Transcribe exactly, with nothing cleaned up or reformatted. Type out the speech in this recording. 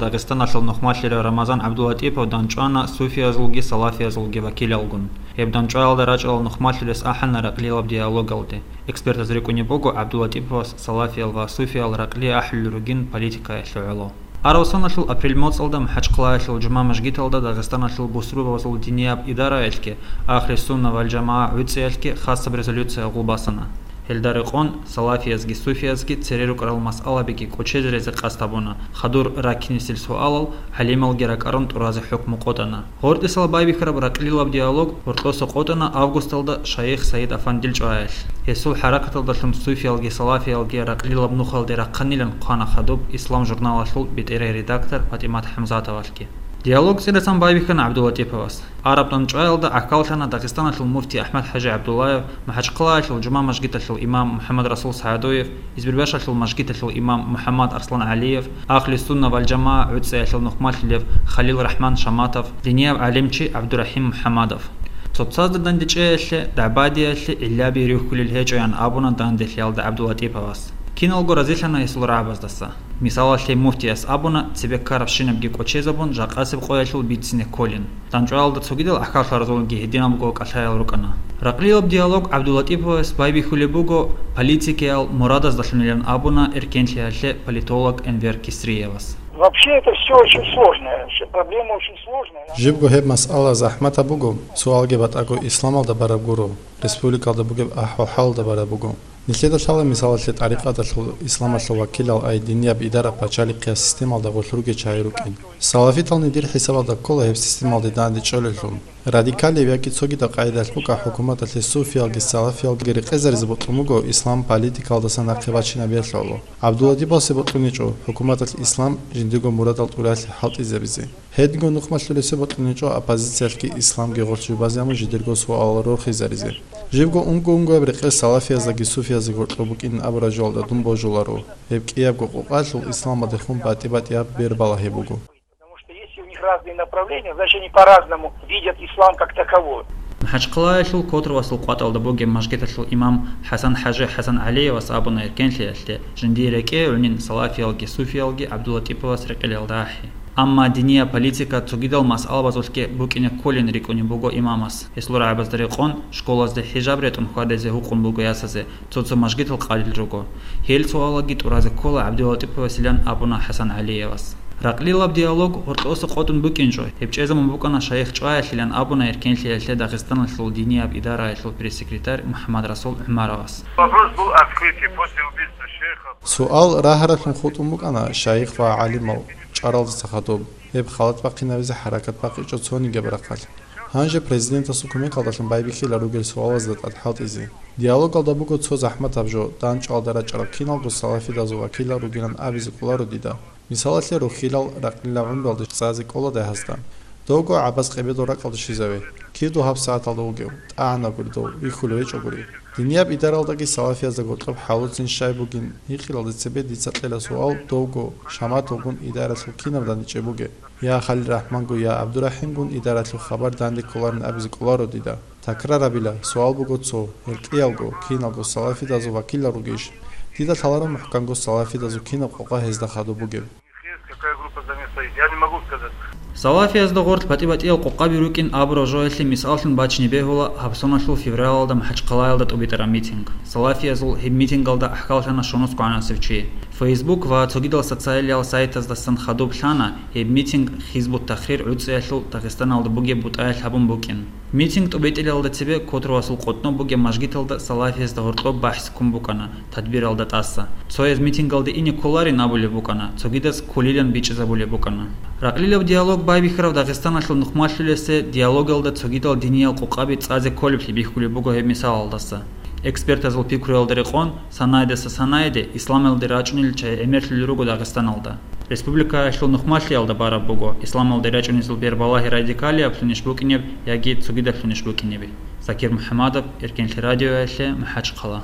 Дагъистаналъул нухмалъира Рамазан ГӀабдулатӀипов данчӀвана суфиязулги салафиязулги вакилалгун. Гьеб данчӀваялда рачӀарал нухмалъулес ахӀана ракълилаб диалогалде. Экспертаз рикӀкӀунеб буго ГӀабдулатӀиповас салафиял ва суфиял ракълие ахӀулел ругин политикаялъе гӀоло. Араб соналъул апрель моцӀалда МахӀачхъалаялъул жума мажгиталда Дагъистаналъул бусурбабазул динияб идараялъги, Ахли Сунна вал ЖамагӀа гӀуцӀиялъги хасаб резолюция гъулбасана. Гьелда рекъон салафиязги суфиязги цере рукӀарал масъалабиги кӀочезаризе къасд гьабуна, хадур раккинесил суалал гӀалималги ракӀарун тӀуразе хӀукму къотӀана. ГъортӀисал байбихьараб ракълилаб диалог гьоркьоса къотӀана августалда шайих Саид Афандил чӀваялъ. Гьесул хӀаракаталдалъун суфиялги салафиялги ракълилаб нухалде рахъанилан хъвана хадуб Ислам журналалъул бетӀерай редактор ПатӀимат ХӀамзатовалъги. Диалог цӀирасан байбихьана ГӀабдулатӀиповас. Араб данчӀваялда гӀахьаллъана Дагъистаналъул муфти АхӀмад-ХӀажи ГӀабдуллаев, МахӀачхъалаялъул жума мажгиталъул имам МухӀаммад-Расул СагӀадуев, Избербашалъул мажгиталъул имам МухӀаммад-Арслан ГӀалиев, Ахли Сунна вал ЖамагӀа гӀуцӀиялъул нухмалъулев Халил РахӀман Шаматов, динияб гӀалимчи ГӀабдурахӀим МухӀаммадов. Цоцазда дандечӀеялъе, дагӀбадиялъе гӀиллаби рихьулел гьечӀоян абуна данделъиялда ГӀабдулатӀиповас. Киналго разилъана гьесул рагӀабаздаса. Мисалалъе, муфтияс абуна, цебе ккарабщинабги кӀочезабун, жакъасеб къоялъул бицине кколин. ДанчӀваялда цогидал гӀахьаллъаразулги гьединабго кӀалъаял рукӀана. Ракълилаб диалог ГӀабдулатӀиповас байбихьулеб буго политикиял мурадаздалъунилан абуна эркенлъиялъе политолог Энвер Кисриевас. Вообще это все очень сложно, вообще проблема очень сложная. Жибго гьеб масъала захӀматаб буго, суалги батӀаго исламалда бараб гуро, республикалда бугеб ахӀвал-хӀалалда бараб буго. Нилъеда лъала мисалалъе тӀарикъаталъул исламалъул вакилал ай динияб идара пачалихъиял системалда гъолъ ругел чагӀи рукӀин. Салафитални дир хӀисабалда ккола гьеб системалде данде чӀолелъул. Радикалияб яги цогидаб къагӀидалъ букӀа хӀукуматалъе суфиялги салафиялги рекъезаризе бокьун буго ислам политикалдаса нахъе бачинабиялъ гӀоло. ГӀабдулатӀиповасе бокьуничӀо хӀукуматалъ ислам жиндирго мурадал тӀуралъи хӀалтӀизабизе. Гьединго нухмалъулесе бокьуничӀо оппозициялъги исламги гъорлъ жубазе абун жидерго суалал рорхизаризе. Живго унго-унгояб рекъел салафияздаги суфияздаги гьоркьоб букӀин абураб жоялда дун божуларо. Гьеб кӀиябго къокъалъул исламалдехун батӀи-батӀияб бер балагьи буго. Потому что если у них разные направления, значит, они по-разному видят ислам как таковой. МахӀачхъалаялъул Котровасул къватӀалда бугеб мажгиталъул имам ХӀасан-хӀажи ХӀасангӀалиевас абуна эркенлъиялъе, жиндие рекӀее гӀунин салафиялги суфиялги ГӀабдулатӀиповас рекъелалда ахӀи. Амма динияб политика цогидал масъалабазулъги букӀине кколин рикӀкӀунеб буго имамас. Гьесул рагӀабазда рекъон, школазде хӀижаб ретӀун хьвадизе гьукъун буго ясазе, цо-цо мажгитал къалил руго. Гьел суалаги тӀуразе ккола ГӀабдулатӀиповасилан абуна ХӀасангӀалиевас. Ракълилаб диалог гьоркьоса къотӀун букӀинчӀо, гьеб чӀезабун букӀана шайих чӀваялъилан абуна эркенлъиялъе Дагъистаналъул динияб идараялъул пресс-секретарь МухӀаммад-Расул ГӀумаровас. Вопрос был открытый после убийства шейха. Суал рагьараблъун хутӀун букӀана шайих ва гӀалимал чӀаралдаса хадуб, гьеб халат бахъинабизе хӀаракат бахъичӀо цонигаб рахъалъ. Гьанже президентасул кумекалдалъун байбихьила ругел суалазда тӀад хӀалтӀизе. Диалогалда буго цо захӀматаб жо, данчӀвалда рачӀарал киналго салафидазул вакилал ругилан абизе кӀоларо дида. Мисалалъе, рухьилал ракълила гӀумруялде цӀазе кӀола дагьасда. Довго гӀабаз къебедул ракӀалде щвезаве. Кив дов гьабсагӀаталда вугев? ТӀагӀанагури дов, вихьулев гьечӀогури. Динияб идаралдаги салафиязда гьоркьоб хӀалуцин щай бугин гьикъилалде цебе дица кьела суал довго, Шаматовгун идаралъул кинаб дандечӀеб бугеб? Я Халил РахӀмангу, я ГӀабдурахӀимгун идаралъул хабар данде кколарин абизе кӀоларо дида. Такрарабила, суал буго цо, гьел кӀиялго, киналго салафидазул вакилал ругищ? Дида лъаларо мухӀканго салафидазул кинаб къокъа гьезда хадуб бугеб. Какая группа за ним стоит? Я не могу сказать. Салафиязда гъорлъ батӀи-батӀиял къокъаби рукӀин абураб жоялъе мисаллъун бачине бегьула гьабсоналъул февралалда МахӀачхъалаялда тӀубитӀараб митинг. Салафиязул гьеб митингалда ахӀкаллъана щунусго гӀанасев чи. Facebook ва цогидал социалиял сайтаздасан хадуб лъана, гьеб митинг Хизбут-Тахрир гӀуцӀиялъул Дагъистаналда бугеб бутӀаялъ гьабун букӀин. Митинг тӀубитӀилалда цебе Котровасул къотӀноб бугеб мажгиталда салафиязда гьоркьоб бахӀс ккун букӀана, тадбиралда тӀаса. Цояз митингалде ине кколарин абулеб букӀана, цогидаз кколилан бичӀчӀизабулеб букӀана. Ракълилаб диалог байбихьараб Дагъистаналъул нухмалъулесе диалогалда цогидал диниял къокъаби цӀазе кколеблъи бихьулеб буго гьеб мисалалдаса. Экспертазул пикруялда рекъон, санайдаса санайде исламалде рачӀунел чагӀи гӀемерлъулел руго Дагъистаналда. Республикаялъул нухмалъиялда бараб буго, исламалде рачӀунезул бербалагьи радикалияблъунищ букӀинеб яги цогидаблъунищ букӀинеби. Закир МухӀамадов, Эркенлъи радиоялъе, МахӀачхъала.